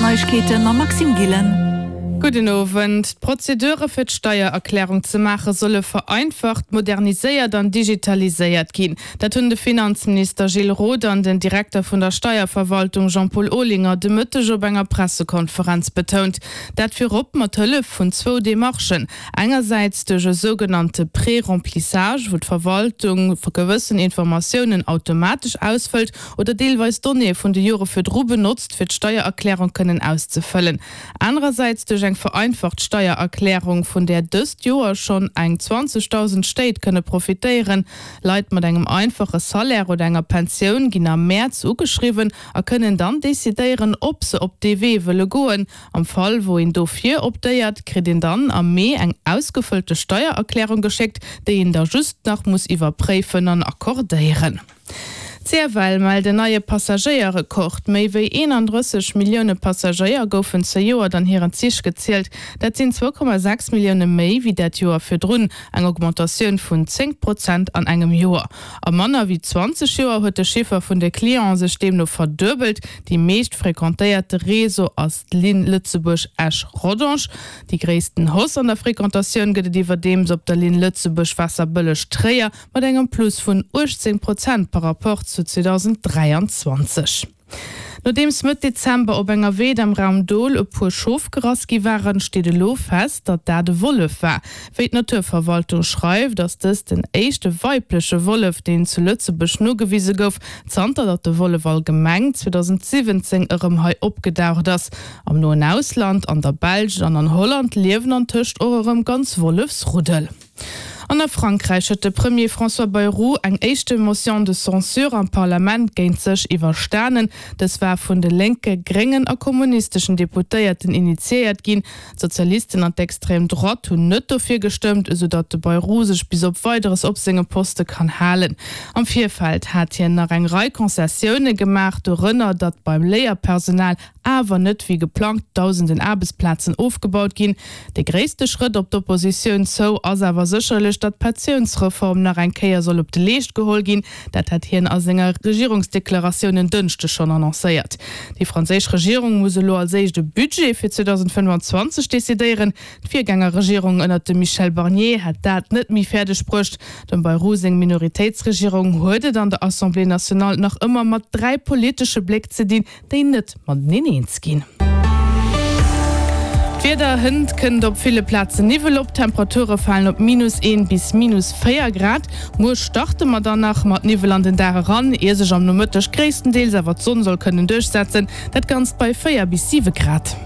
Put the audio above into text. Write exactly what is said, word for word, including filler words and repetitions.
Neiegkeete mam Maxime Gillen. Gudden Owend. D'Prozedure fir d'Steiererklärung ze maache solle vereinfacht, moderniséiert an digitaliséiert ginn. Dat hunn de Finanzminister Gilles Roth an den Direkter vun der Steierverwaltung Jean-Paul Olinger de Mëtteg op enger Pressekonferenz betount. Dat virop mat Hëllef vun zwou Demarchen. Engersäits duerch e sougenannte Préremplissage, wou d'Verwaltung gewëssen Informatiounen automatesch ausfëllt oder deelweis Donnéeë vun de Jore virdru benotzt, fir d'Steiererklärung kënnen auszefëllen. Anerersäits duerch eng vereinfacht Steiererklärung, vun där dëst Joer schonn eng zwanzegdausend Stéit kënne profitéieren. Leit mat engem einfache Salaire oder enger Pensioun ginn am Mäerz ugeschriwwen a kënnen dann decidéieren, ob se op dee Wee wëlle goen. Am Fall wou een dofir optéiert, kritt een dann am Mee eng ausgefëllte Steiererklärung geschéckt, déi een da just nach muss iwwerpréifen an accordéieren. D'Cfl mellt en neie Passagéierrekord, Méi wéi eenandrësseg Millioune Passagéier goufen zejoert an hiren Zich gezielt. Dat sinn zwou Komma sechs Millioune méi wéi dat Joer virdrun, eng Augmentatioun vun zéng Prozent an engem Joer. A manner wéi zwanzeg Joer huet de Chiffer vun de Clienten sech deemno verduebelt. Déi meescht frequentéierte Réseau ass d'Linn Lëtzebuerg-Esch-Rodange. Déi gréissten Hausse an der Frequentatioun gëtt et iwwerdeems op der Linn Lëtzebuerg-Waasserbëlleg-Tréier mat engem Plus vun uechtzéng Prozent par rapport zu zweedausenddräianzwanzeg. Nodeems Mëtt Dezember op enger Weed am Raum Dol e puer Schof gerass gi waren, steet elo fest, datt dat e Wollef war. Wéi d'Naturverwaltung schreift, ass dëst den éischte weibleche Wollef, deen zu Lëtzebuerg nogewise gouf, zanter datt de Wollef allgemeng zweedausentsiwwenzéng erëm hei opgedaucht ass. Am noen Ausland, an der Belsch an an Holland, liewen antëscht och erëm ganz Wollefsruddel. An a Frankräich huet de Premier François Bayrou eng éischte Motion de censure am Parlament géint sech iwwerstanen. Dës war vun de lénke, gréngen a kommunisteschen Deputéierten initiéiert ginn. D'Sozialisten an d'Extrême Droite hunn net dofir gestëmmt, esou datt de Bayrou sech bis op Weideres op sengem Poste kann halen. Am Virfeld hat hien nach eng Rei Concessioune gemaach, dorënner datt beim Léierpersonal awer net wéi geplangt dausenden Aarbechtsplazen ofgebaut ginn. De gréisste Schrëtt op d'Oppositioun zou ass awer sécherlech, datt d'Pensiounsreform nach eng Kéier soll op de Leescht geholl ginn. Dat hat hien a senger Regierungsdeklaratioun en Dënschdeg schonn annoncéiert. Déi franséisch Regierung muss elo als éischt e Budget fir zweedausendfënnfanzwanzeg decidéieren. D'Virgängerregierung ënnert dem Michel Barnier hätt dat net méi fäerdeg bruecht. Dem Bayrou seng Minoritéitsregierung huet et an der Assemblée nationale nach ëmmer mat dräi politesche Bléck ze dinn, déi net mateneen eens ginn. D'Wieder, Hënt kënnt op ville Plazen Niwwel op, d'Temperature falen op minus een bis minus véier Grad. Muer starte mer dann nach mat Niwwel an den Dag eran, ier sech am Nomëtteg gréisstendeels awer d'Sonn soll kënnen duerchsetzen, dat Ganzt bei véier bis siwe Grad.